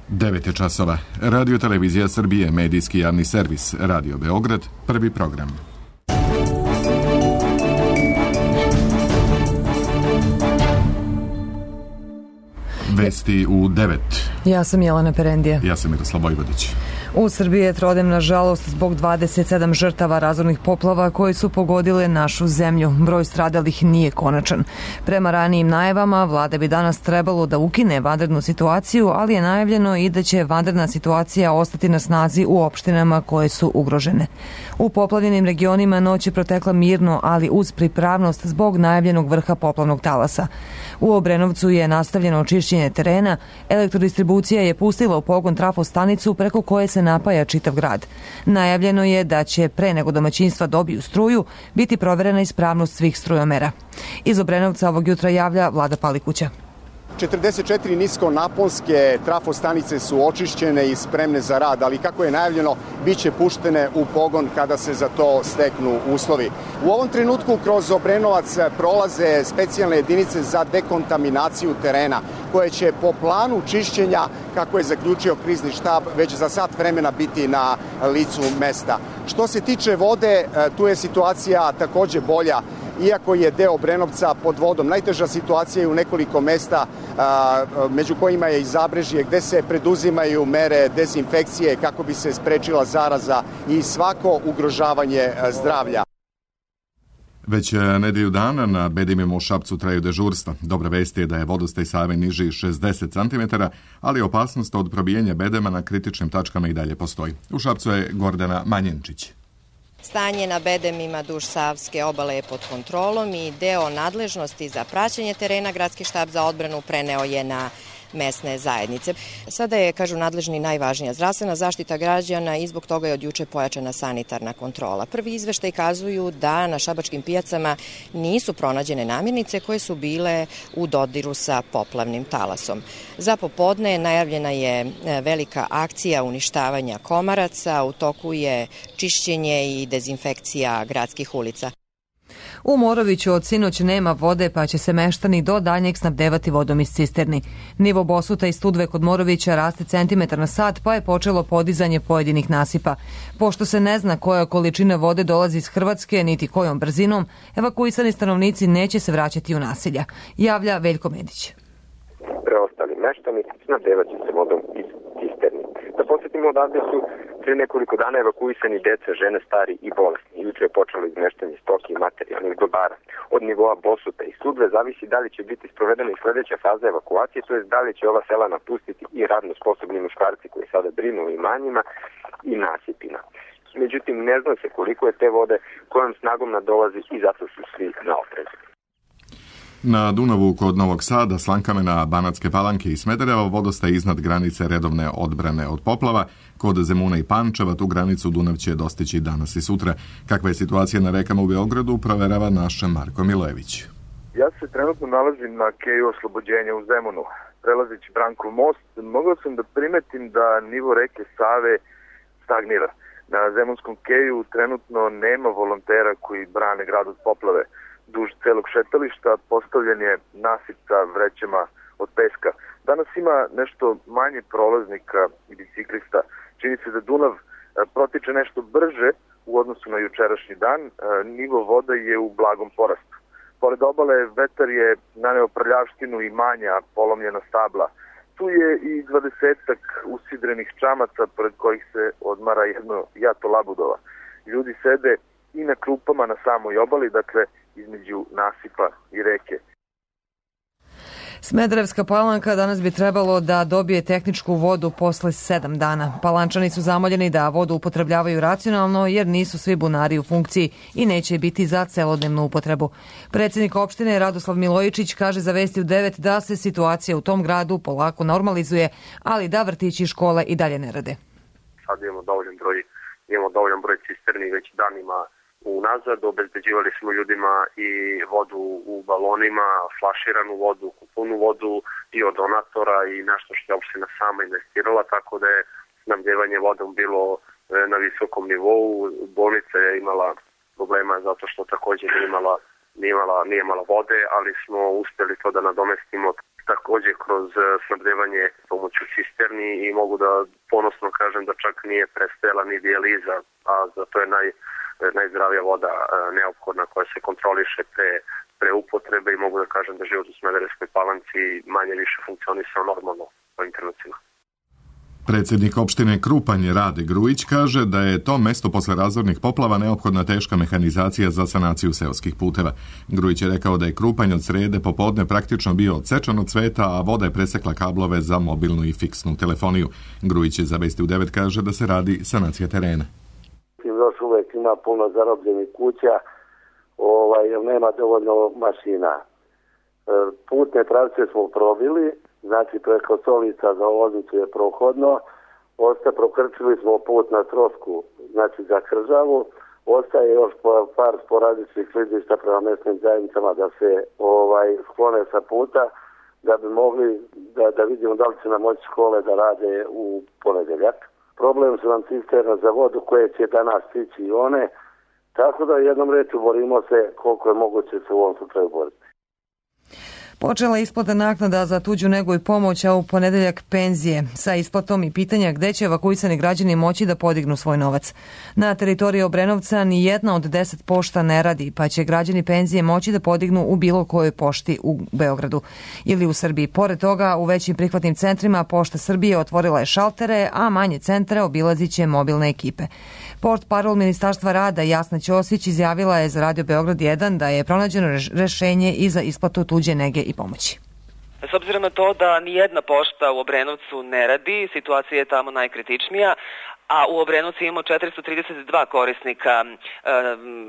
9 časova. Radio Televizija Srbije, medijski javni servis, Radio Beograd, prvi program. Vesti u 9. Ja sam Jelena Perendija. Ja sam Miroslav Vojvodić. U Srbiji je trodnevna žalost zbog 27 žrtava razornih poplava koje su pogodile našu zemlju. Broj stradalih nije konačan. Prema ranijim najavama, vlada bi danas trebalo da ukine vanrednu situaciju, ali je najavljeno i da će vanredna situacija ostati na snazi u opštinama koje su ugrožene. U poplavljenim regionima noć je protekla mirno, ali uz pripravnost zbog najavljenog vrha poplavnog talasa. U Obrenovcu je nastavljeno očišćenje terena, elektrodistribucija je pustila u pogon trafostanicu preko koje se napaja čitav grad. Najavljeno je da će pre nego domaćinstva dobiju struju biti proverena ispravnost svih strujomera. Iz Obrenovca ovog jutra javlja Vlada Palikuća. 44 niskonaponske trafostanice su očišćene i spremne za rad, ali kako je najavljeno, bit će puštene u pogon kada se za to steknu uslovi. U ovom trenutku kroz Obrenovac prolaze specijalne jedinice za dekontaminaciju terena, koje će po planu čišćenja, kako je zaključio krizni štab, već za sat vremena biti na licu mesta. Što se tiče vode, tu je situacija takođe bolja. Iako je deo Obrenovca pod vodom, najteža situacija je u nekoliko mesta, među kojima je i Zabrežje, gde se preduzimaju mere dezinfekcije kako bi se sprečila zaraza i svako ugrožavanje zdravlja. Već nedelju dana na bedemima u Šapcu traju dežurstva. Dobra vest je da je vodostaj Save niži 60 cm, ali opasnost od probijanja bedema na kritičnim tačkama i dalje postoji. U Šapcu je Gordana Manjenčić. Stanje na bedemima duž Savske obale je pod kontrolom i deo nadležnosti za praćenje terena Gradski štab za odbranu preneo je na mesne zajednice. Sada je, kažu nadležni, najvažnija zdravstvena zaštita građana i zbog toga je od juče pojačana sanitarna kontrola. Prvi izveštaj kazuju da na šabačkim pijacama nisu pronađene namirnice koje su bile u dodiru sa poplavnim talasom. Za popodne najavljena je velika akcija uništavanja komaraca, u toku je čišćenje i dezinfekcija gradskih ulica. U Moroviću od sinoć nema vode, pa će se meštani do daljnjeg snabdevati vodom iz cisterni. Nivo Bosuta i Studve kod Morovića raste centimetar na sat, pa je počelo podizanje pojedinih nasipa. Pošto se ne zna koja količina vode dolazi iz Hrvatske, niti kojom brzinom, evakuisani stanovnici neće se vraćati u naselja, javlja Veljko Medić. Preostali meštani snabdevat će se vodom iz cisterni. Da podsjetimo, odavde su pre nekoliko dana evakuisani deca, žene, stari i bolesni. Juče je počelo izmeštanje stoke i materijalnih dobara. Od nivoa Bosuta i Studve zavisi da li će biti sprovedena i sledeća faza evakuacije, to je da li će ova sela napustiti i radno sposobni muškarci koji sada brinu o imanjima i nasipima. Međutim, ne zna se koliko je te vode, kojom snagom nadolazi i zato su svi na oprezu. Na Dunavu kod Novog Sada, Slankamena, Banatske Palanke i Smedereva vodostaj iznad granice redovne odbrane od poplava. Kod Zemuna i Pančeva tu granicu Dunav će dostići danas i sutra. Kakva je situacija na rekama u Beogradu, proverava naš Marko Milojević. Ja se trenutno nalazim na keju oslobođenja u Zemunu. Prelazeći Brankov most, mogao sam da primetim da nivo reke Save stagnira. Na Zemunskom keju trenutno nema volontera koji brane grad od poplave. Duž celog šetališta postavljen je nasip sa vrećama od peska. Danas ima nešto manje prolaznika i biciklista. Čini se da Dunav protiče nešto brže u odnosu na jučerašnji dan. Nivo voda je u blagom porastu. Pored obale vetar je naneo prljavštinu i manja polomljena stabla. Tu je i 20-ak usidrenih čamaca pored kojih se odmara jedno jato labudova. Ljudi sede i na klupama na samoj obali, dakle između nasipa i reke. Smederevska Palanka danas bi trebalo da dobije tehničku vodu posle 7 dana. Palančani su zamoljeni da vodu upotrebljavaju racionalno jer nisu svi bunari u funkciji i neće biti za celodnevnu upotrebu. Predsjednik opštine Radoslav Milojičić kaže za Vesti u 9 da se situacija u tom gradu polako normalizuje, ali da vrtići i škole i dalje ne rade. Sad imamo dovoljan broj cisterni već danima unazad, obezbeđivali smo ljudima i vodu u balonima, flaširanu vodu, kuponu vodu i od donatora i nešto što je opština sama investirala, tako da je snabdevanje vodom bilo na visokom nivou. Bolnica je imala problema zato što također nije imala nije imala vode, ali smo uspjeli to da nadomestimo takođe kroz snabdevanje pomoću cisterni i mogu da ponosno kažem da čak nije prestajala ni dijaliza, a za to je najzdravija voda neophodna koja se kontroliše pre upotrebe i mogu da kažem da život u Smederevskoj Palanci manje više funkcionisao normalno po internetima. Predsjednik opštine Krupanj Rade Grujić kaže da je to mesto posle razornih poplava neophodna teška mehanizacija za sanaciju seoskih puteva. Grujić je rekao da je Krupanj od srede popodne praktično bio odsečan od sveta, a voda je presekla kablove za mobilnu i fiksnu telefoniju. Grujić je za Vesti u 9 kaže da se radi sanacija terena. Još uvek ima puno zarobljenih kuća, jer nema dovoljno mašina. Putne pravce smo probili, znači preko Solica za Loznicu je prohodno, prokrčili smo put na Trosku, znači za Kržavu, ostaje još par sporadičnih klizišta prema mesnim zajednicama da se sklone sa puta, da bi mogli da vidimo da li će nam moći škole da rade u ponedeljak. Problem su nam cisterna za vodu koje će danas stići i one, tako da jednom rečju borimo se koliko je moguće se u ovom slučaju boriti. Počela je isplata naknada za tuđu negu i pomoć, a u ponedeljak penzije, sa isplatom i pitanja gde će evakuisani građani moći da podignu svoj novac. Na teritoriji Obrenovca ni jedna od 10 pošta ne radi, pa će građani penzije moći da podignu u bilo kojoj pošti u Beogradu ili u Srbiji. Pored toga, u većim prihvatnim centrima Pošta Srbije otvorila je šaltere, a manje centre obilazit će mobilne ekipe. Portparol Ministarstva rada Jasna Ćosić izjavila je za Radio Beograd 1 da je pronađeno rešenje i za isplatu tuđe nege i pomoći. S obzirom na to da nijedna pošta u Obrenovcu ne radi, situacija je tamo najkritičnija, a u Obrenovcu imamo 432 korisnika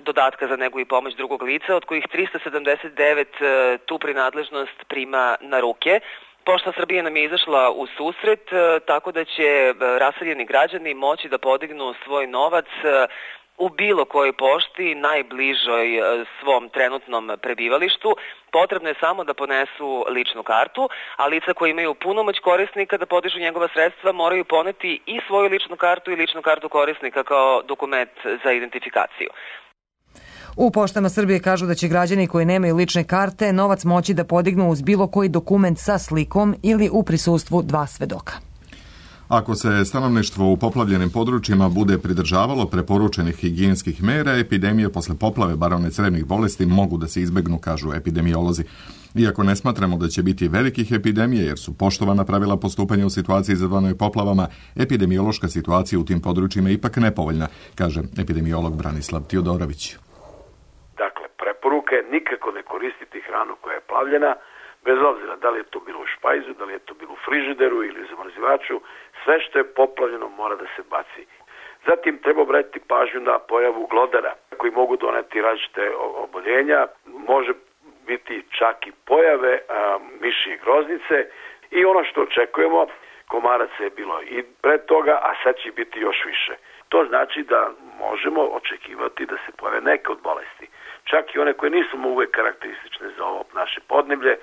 dodatka za negu i pomoć drugog lica, od kojih 379 tu prinadležnost prima na ruke. Pošta Srbije nam je izašla u susret, tako da će raseljeni građani moći da podignu svoj novac u bilo kojoj pošti, najbližoj svom trenutnom prebivalištu. Potrebno je samo da ponesu ličnu kartu, a lica koji imaju punomoć korisnika da podižu njegova sredstva moraju poneti i svoju ličnu kartu i ličnu kartu korisnika kao dokument za identifikaciju. U Poštama Srbije kažu da će građani koji nemaju lične karte novac moći da podignu uz bilo koji dokument sa slikom ili u prisustvu 2 svedoka. Ako se stanovništvo u poplavljenim područjima bude pridržavalo preporučenih higijenskih mera, epidemije posle poplave barone crevnih bolesti mogu da se izbegnu, kažu epidemiolozi. Iako ne smatramo da će biti velikih epidemija jer su poštovana pravila postupanja u situaciji izazvanoj poplavama, epidemiološka situacija u tim područjima je ipak nepovoljna, kaže epidemiolog Branislav Tiodorović. Dakle, preporuka je nikako ne koristiti hranu koja je plavljena, bez obzira da li je to bilo u špajzu, da li je to bilo u frižideru ili zamrzivaču, sve što je poplavljeno mora da se baci. Zatim treba obratiti pažnju na pojavu glodara koji mogu doneti različite oboljenja, može biti čak i pojave mišije groznice i ono što očekujemo, komaraca je bilo i pre toga, a sad će biti još više. To znači da možemo očekivati da se pojave neke od bolesti. Čak i one koje nisu uvek karakteristične za ovo naše podneblje,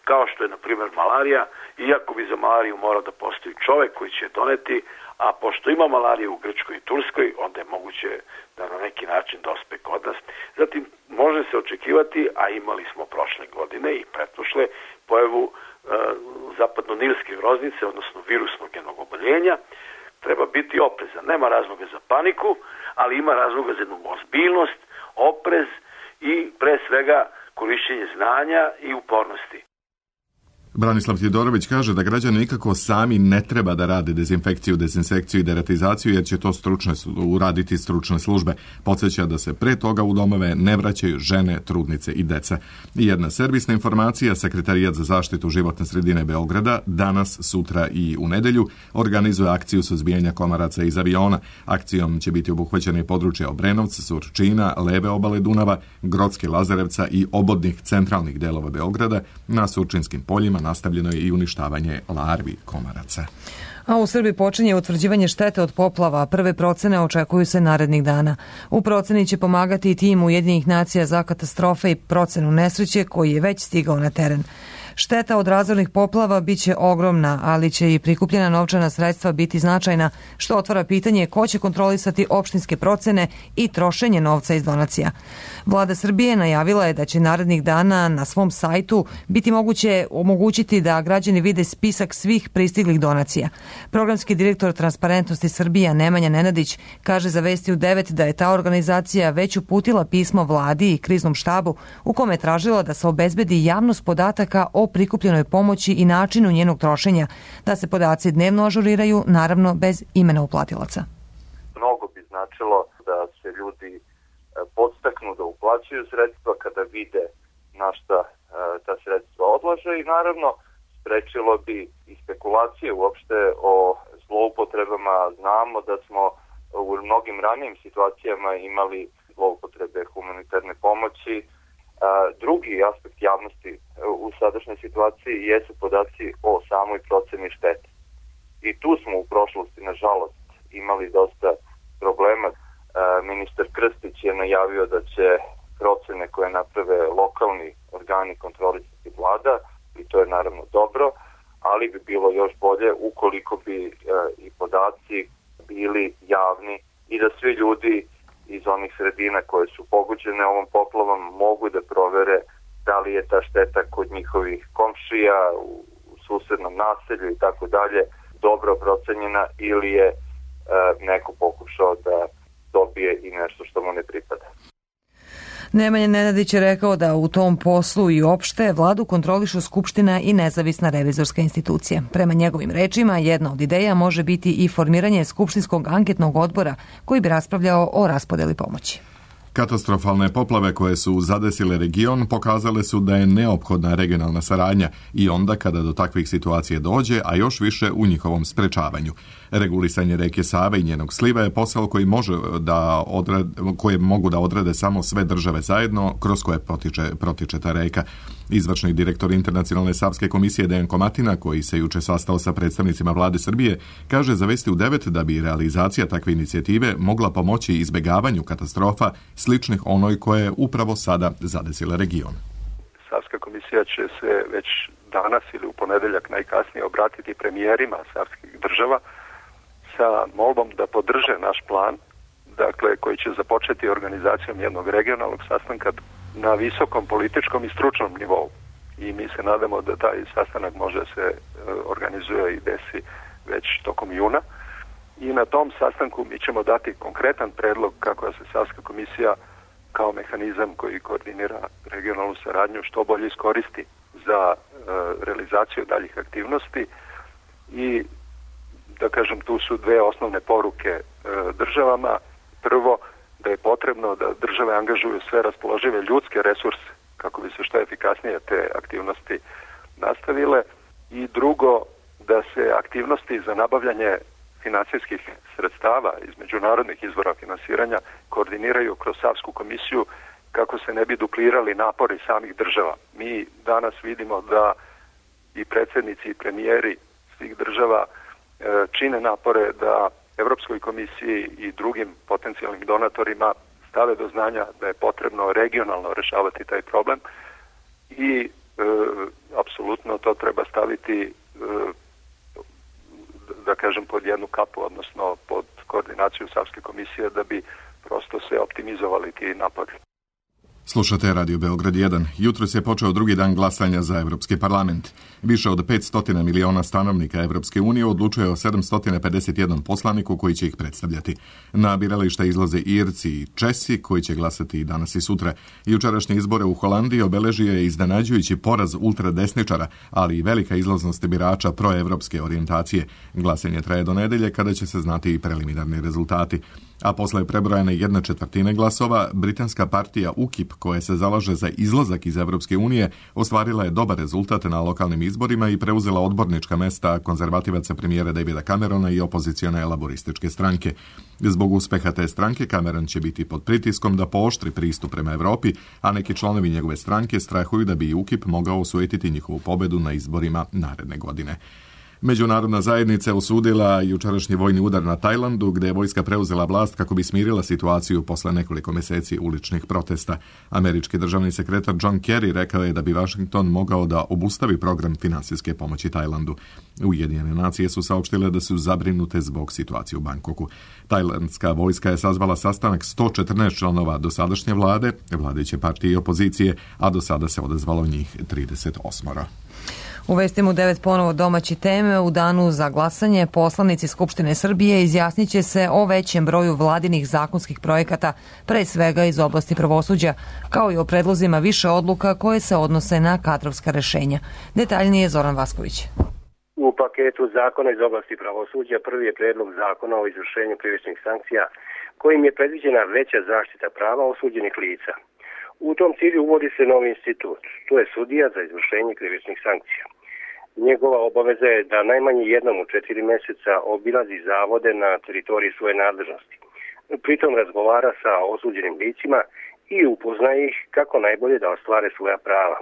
kao što je na primjer malarija, iako bi za malariju morao da postoji čovek koji će doneti, a pošto ima malarije u Grčkoj i Turskoj, onda je moguće da na neki način dospe kod nas. Zatim može se očekivati, a imali smo prošle godine i pretprošle, pojavu zapadno-nilske groznice, odnosno virusnog jednog oboljenja. Treba biti oprezan. Nema razloga za paniku, ali ima razloga za jednu ozbiljnost, oprez i pre svega korišćenje znanja i upornosti. Branislav Tjedorović kaže da građani nikako sami ne treba da rade dezinfekciju, dezinsekciju i deratizaciju jer će to uraditi stručne službe. Podsjeća da se pre toga u domove ne vraćaju žene, trudnice i deca. I jedna servisna informacija, Sekretarijat za zaštitu životne sredine Beograda danas, sutra i u nedelju organizuje akciju suzbijanja komaraca iz aviona. Akcijom će biti obuhvaćene područja Obrenovca, Surčina, leve obale Dunava, Grocke, Lazarevca i obodnih centralnih delova Beograda. Na Surčinskim poljima nastavljeno je i uništavanje larvi komaraca. A u Srbiji počinje utvrđivanje štete od poplava. Prve procene očekuju se narednih dana. U proceni će pomagati i tim Ujedinjenih nacija za katastrofe i procenu nesreće koji je već stigao na teren. Šteta od razornih poplava biće ogromna, ali će i prikupljena novčana sredstva biti značajna, što otvara pitanje ko će kontrolisati opštinske procene i trošenje novca iz donacija. Vlada Srbije najavila je da će narednih dana na svom sajtu biti moguće omogućiti da građani vide spisak svih pristiglih donacija. Programski direktor Transparentnosti Srbija Nemanja Nenadić kaže za Vesti u 9 da je ta organizacija već uputila pismo vladi i kriznom štabu u kome je tražila da se obezbedi javnost podataka o prikupljenoj pomoći i načinu njenog trošenja, da se podaci dnevno ažuriraju, naravno bez imena uplatilaca. Mnogo bi značilo da se ljudi podstaknu da uplaćuju sredstva kada vide na šta ta sredstva odlaže i naravno sprečilo bi i spekulacije uopšte o zloupotrebama. Znamo da smo u mnogim ranijim situacijama imali zloupotrebe humanitarne pomoći. Drugi aspekt javnosti u sadašnjoj situaciji jesu podaci o samoj proceni štete. I tu smo u prošlosti, nažalost, imali dosta problema. Ministar Krstić je najavio da će procene koje naprave lokalni organi kontrolisati vlada i to je naravno dobro, ali bi bilo još bolje ukoliko bi i podaci bili javni i da svi ljudi iz onih sredina koje su pogođene ovom poplavom mogu da provere da li je ta šteta kod njihovih komšija, u susednom naselju i tako dalje dobro procenjena ili je neko pokušao da dobije i nešto što mu ne pripada. Nemanja Nenadić je rekao da u tom poslu i opšte vladu kontrolišu Skupština i nezavisna revizorska institucija. Prema njegovim rečima, jedna od ideja može biti i formiranje Skupštinskog anketnog odbora koji bi raspravljao o raspodeli pomoći. Katastrofalne poplave koje su zadesile region pokazale su da je neophodna regionalna saradnja i onda kada do takvih situacija dođe, a još više u njihovom sprečavanju. Regulisanje reke Save i njenog sliva je posao koji koje mogu da odrede samo sve države zajedno kroz koje protiče ta reka. Izvršni direktor Internacionalne savske komisije Dejan Komatina, koji se juče sastao sa predstavnicima vlade Srbije, kaže za Vesti u 9 da bi realizacija takve inicijative mogla pomoći izbegavanju katastrofa sličnih onoj koje je upravo sada zadesila region. Savska komisija će se već danas ili u ponedeljak najkasnije obratiti premijerima savskih država sa molbom da podrže naš plan, dakle koji će započeti organizacijom jednog regionalnog sastanka na visokom političkom i stručnom nivou. I mi se nadamo da taj sastanak može se organizuje i desi već tokom juna. I na tom sastanku mi ćemo dati konkretan predlog kako se Savska komisija kao mehanizam koji koordinira regionalnu saradnju što bolje iskoristi za realizaciju daljih aktivnosti. I da kažem, tu su dve osnovne poruke državama. Prvo, da je potrebno da države angažuju sve raspoložive ljudske resurse kako bi se što efikasnije te aktivnosti nastavile. I drugo, da se aktivnosti za nabavljanje financijskih sredstava iz međunarodnih izvora finansiranja koordiniraju kroz Savsku komisiju kako se ne bi duplirali napori samih država. Mi danas vidimo da i predsjednici i premijeri svih država čine napore da Evropskoj komisiji i drugim potencijalnim donatorima stave do znanja da je potrebno regionalno rešavati taj problem i apsolutno to treba staviti da kažem pod jednu kapu, odnosno pod koordinaciju Savske komisije da bi prosto se optimizovali ti napori. Slušate Radio Beograd 1. Jutros je počeo drugi dan glasanja za Evropski parlament. Više od 500 miliona stanovnika Evropske unije odlučuje o 751 poslaniku koji će ih predstavljati. Na birališta izlaze Irci i Česi koji će glasati i danas i sutra. Jučerašnje izbore u Holandiji obeležio je iznenađujući poraz ultradesničara, ali i velika izlaznost birača proevropske orijentacije. Glasanje traje do nedelje kada će se znati i preliminarni rezultati. A posle prebrojane 1/4 glasova, britanska partija UKIP, koja se zalaže za izlazak iz Evropske unije, ostvarila je dobar rezultat na lokalnim izborima i preuzela odbornička mesta konzervativaca premijera Davida Camerona i opozicione laborističke stranke. Zbog uspeha te stranke, Cameron će biti pod pritiskom da pooštri pristup prema Evropi, a neki članovi njegove stranke strahuju da bi UKIP mogao osujetiti njihovu pobedu na izborima naredne godine. Međunarodna zajednica je osudila jučerašnji vojni udar na Tajlandu, gdje je vojska preuzela vlast kako bi smirila situaciju posle nekoliko mjeseci uličnih protesta. Američki državni sekretar John Kerry rekao je da bi Washington mogao da obustavi program finansijske pomoći Tajlandu. Ujedinjene nacije su saopštile da su zabrinute zbog situacije u Bangkoku. Tajlandska vojska je sazvala sastanak 114 članova dosadašnje vlade, vladajuće partije i opozicije, a do sada se odazvalo njih 38. U vestima u 9 ponovo domaće teme. U danu za glasanje poslanici Skupštine Srbije izjasnit će se o većem broju vladinih zakonskih projekata, pre svega iz oblasti pravosuđa, kao i o predlozima više odluka koje se odnose na kadrovska rešenja. Detaljnije Zoran Vasković. U paketu zakona iz oblasti pravosuđa prvi je predlog zakona o izvršenju krivičnih sankcija, kojim je predviđena veća zaštita prava osuđenih lica. U tom cilju uvodi se novi institut, to je sudija za izvršenje krivičnih sankcija. Njegova obaveza je da najmanje jednom u 4 mjeseca obilazi zavode na teritoriji svoje nadležnosti. Pritom razgovara sa osuđenim licima i upoznaje ih kako najbolje da ostvare svoja prava.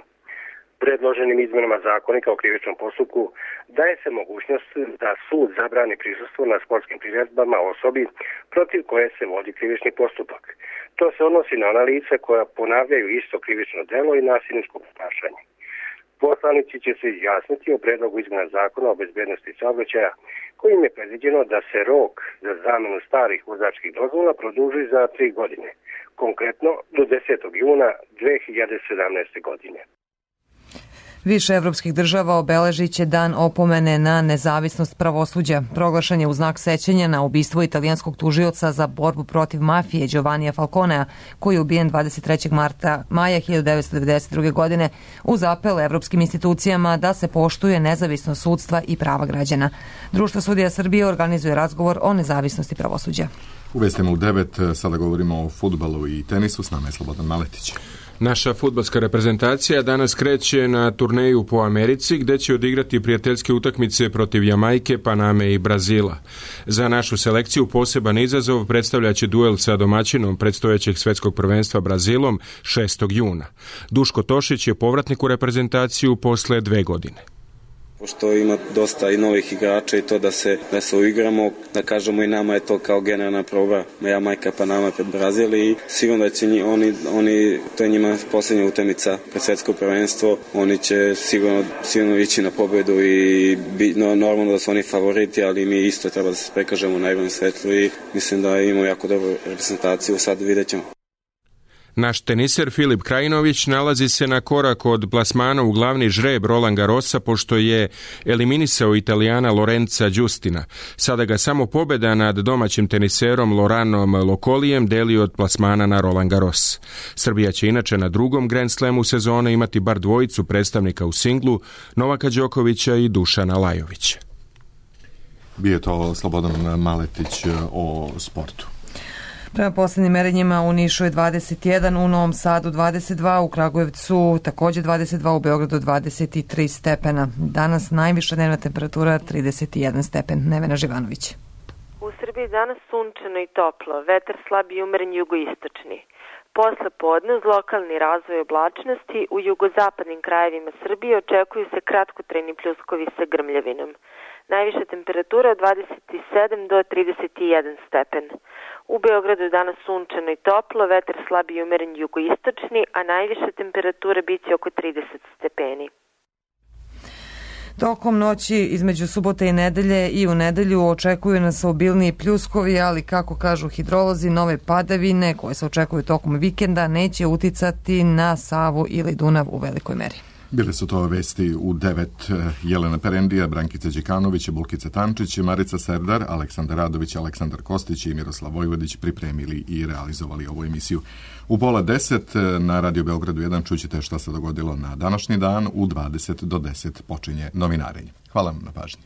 Predloženim izmenama zakonika o krivičnom postupku daje se mogućnost da sud zabrani prisustvo na sportskim priredbama osobi protiv koje se vodi krivični postupak. To se odnosi na ona lica koja ponavljaju isto krivično delo i nasilničko ponašanje. Poslanici će se izjasniti o predlogu izmena zakona o bezbednosti saobraćaja, kojim je predviđeno da se rok za zamenu starih vozačkih dozvola produži za 3 godine, konkretno do 10. juna 2017. godine. Više evropskih država obeležit će dan opomene na nezavisnost pravosuđa. Proglašen je u znak sećanja na ubistvo italijanskog tužioca za borbu protiv mafije Giovannija Falconea, koji je ubijen 23. maja 1992. godine uz apel evropskim institucijama da se poštuje nezavisnost sudstva i prava građana. Društvo sudija Srbije organizuje razgovor o nezavisnosti pravosuđa. U vestima u 9 sada govorimo o fudbalu i tenisu. S nama je Slobodan Maletić. Naša fudbalska reprezentacija danas kreće na turneju po Americi, gdje će odigrati prijateljske utakmice protiv Jamajke, Paname i Brazila. Za našu selekciju poseban izazov predstavljaće duel sa domaćinom predstojećeg svjetskog prvenstva Brazilom 6. juna. Duško Tošić je povratnik u reprezentaciju posle 2 godine. Pošto ima dosta i novih igrača i to da se uigramo, da kažemo i nama je to kao generalna proba Jamajka, Panama pred Brazil i sigurno da će oni to je njima posljednja utakmica pred svjetsko prvenstvo, oni će sigurno ići na pobjedu i normalno da su oni favoriti, ali mi isto treba da se prikažemo u najboljem svetlu i mislim da imamo jako dobru reprezentaciju, sad vidjet ćemo. Naš teniser Filip Krajinović nalazi se na korak od plasmana u glavni žreb Roland Garrosa pošto je eliminisao Italijana Lorenza Giustina. Sada ga samo pobjeda nad domaćim teniserom Loranom Lokolijem deli od plasmana na Roland Garros. Srbija će inače na drugom Grand Slamu sezone imati bar dvojicu predstavnika u singlu, Novaka Đokovića i Dušana Lajovića. Bio je to Slobodan Maletić o sportu. Prema posljednjim merenjima u Nišu je 21, u Novom Sadu 22, u Kragujevcu također 22, u Beogradu 23 stepena. Danas najviša dnevna temperatura 31 stepen. Nevena Živanović. U Srbiji danas sunčano i toplo, vetar slab i umeren jugoistočni. Posle podne uz lokalni razvoj oblačnosti u jugozapadnim krajevima Srbije očekuju se kratkotrajni pljuskovi sa grmljavinom. Najviša temperatura od 27 do 31 stepen. U Beogradu je danas sunčano i toplo, vetar slab i umeren jugoistočni, a najviša temperatura biće oko 30 stepeni. Tokom noći između subote i nedelje i u nedelju očekuju nas obilniji pljuskovi, ali kako kažu hidrolozi, nove padavine koje se očekuju tokom vikenda neće uticati na Savu ili Dunav u velikoj meri. Bile su to vesti u 9. Jelena Perendija, Brankica Đekanović, Bulkica Tančić, Marica Serdar, Aleksandar Radović, Aleksandar Kostić i Miroslav Vojvodić pripremili i realizovali ovu emisiju. U 9:30 na Radio Beogradu 1 čućete šta se dogodilo na današnji dan. U 20 do 10 počinje novinarenje. Hvala vam na pažnji.